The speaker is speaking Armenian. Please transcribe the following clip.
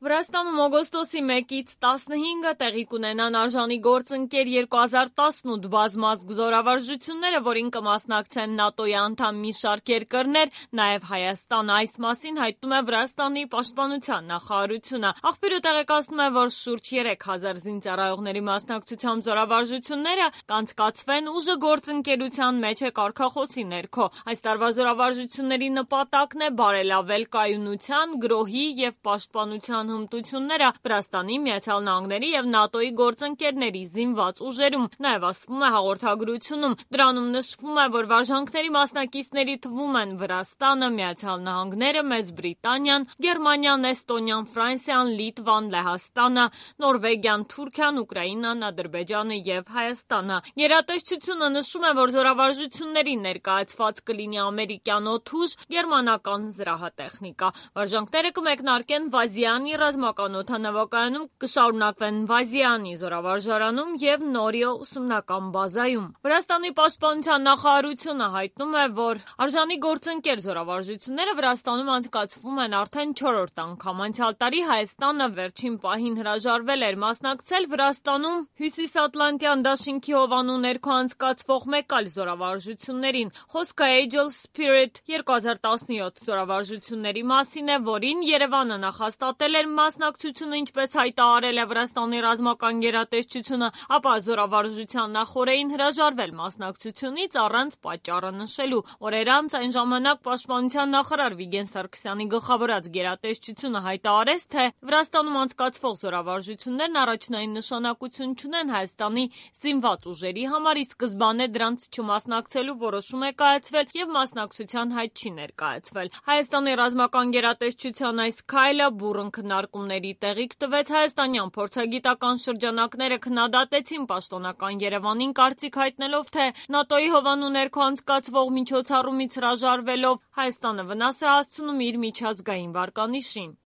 Վրաստանում օգոստոսի 1-ից 15-ը տեղի կունենան արժանի գործընկեր 2018 բազմազգ զորավարժությունները, որին կմասնակցեն ՆԱՏՕ-ի անդամ մի շարք երկրներ, նաև Հայաստան։ Այս մասին հայտնում է Վրաստանի պաշտպանության նախարարությունը։ Աղբյուրը տեղեկացնում է, որ շուրջ 3000 զինծառայողների մասնակցությամբ զորավարժությունները կանցկացվեն ուժը գործընկերության մեջ է կարգախոսի ներքո։ Այս տարվա զորավարժությունների նպատակն է բարելավել կայունության, գրոհի և պաշտպանության հմտությունները Վրաստանի, Միացյալ Նահանգների և ՆԱՏՕ-ի գործընկերների զինված ուժերում, նաև ասվում է հաղորդագրությունում։ Դրանում նշվում է, որ վարժանքների մասնակիցների թվում են Վրաստանը, Միացյալ Նահանգները, Մեծ Բրիտանիան, Գերմանիան, Էստոնիան, Ֆրանսիան, Լիտվան, Լեհաստանը, Նորվեգիան, Թուրքիան, Ուկրաինան, Ադրբեջանը և Հայաստանը։ Գերատեսչությունը նշում է, որ զորավարժություններին ներկայացված կլինի ամերիկյան օդուժ, գերմանական զրահատեխնիկա։ Վարժանքները կմեկնարկեն Վազիանի ռազմական օդանավակայանում, կշարունակվեն Վազիանի զորավարժարանում և Նորիո ուսումնական բազայում։ Վրաստանի պաշտպանության նախարարությունը հայտնում է, որ արժանի գործընկեր զորավարժությունները Վրաստանում անցկացվում են արդեն 4-րդ անգամ։ Անցյալ տարի Հայաստանը վերջին պահին հրաժարվել էր մասնակցել Վրաստանում Հյուսիսատլանտյան դաշինքի հովանու ներքո անցկացվող մեկ այլ զորավարժություններին։ Խոսքը Aegis Spirit 2017 զորավարժությունների մասին է, որին Երևանը նախաստատել էր մասնակցությունը, ինչպես հայտարարել է Վրաստանի ռազմական գերատեսչությունը, ապա զորավարժության նախօրեին հրաժարվել մասնակցությունից առանց պատճառը նշելու։ Օրեր անց այն ժամանակ պաշտպանության նախարար Վիգեն Սարգսյանի գլխավորած գերատեսչությունը հայտարարեց, թե Վրաստանում անցկացվող զորավարժություններն առաջնային նշանակություն չունեն Հայաստանի զինված ուժերի համար, ի սկզբանե դրանց չմասնակցելու որոշում է կայացվել և մասնակցության հայտ չի ներկայացվել։ Հայաստանի ռազմական գերատեսչության այս քայլը բուռն քննարկումների տեղիք տվեց։ Հայաստանյան փորձագիտական շրջանակները քննադատեցին պաշտոնական Երևանին, կարծիք հայտնելով, թե ՆԱՏՕ-ի հովանու ներքո անցկացվող միջոցառումից հրաժարվելով Հայաստանը վնաս է հասցնում իր միջազգային վարկանիշին։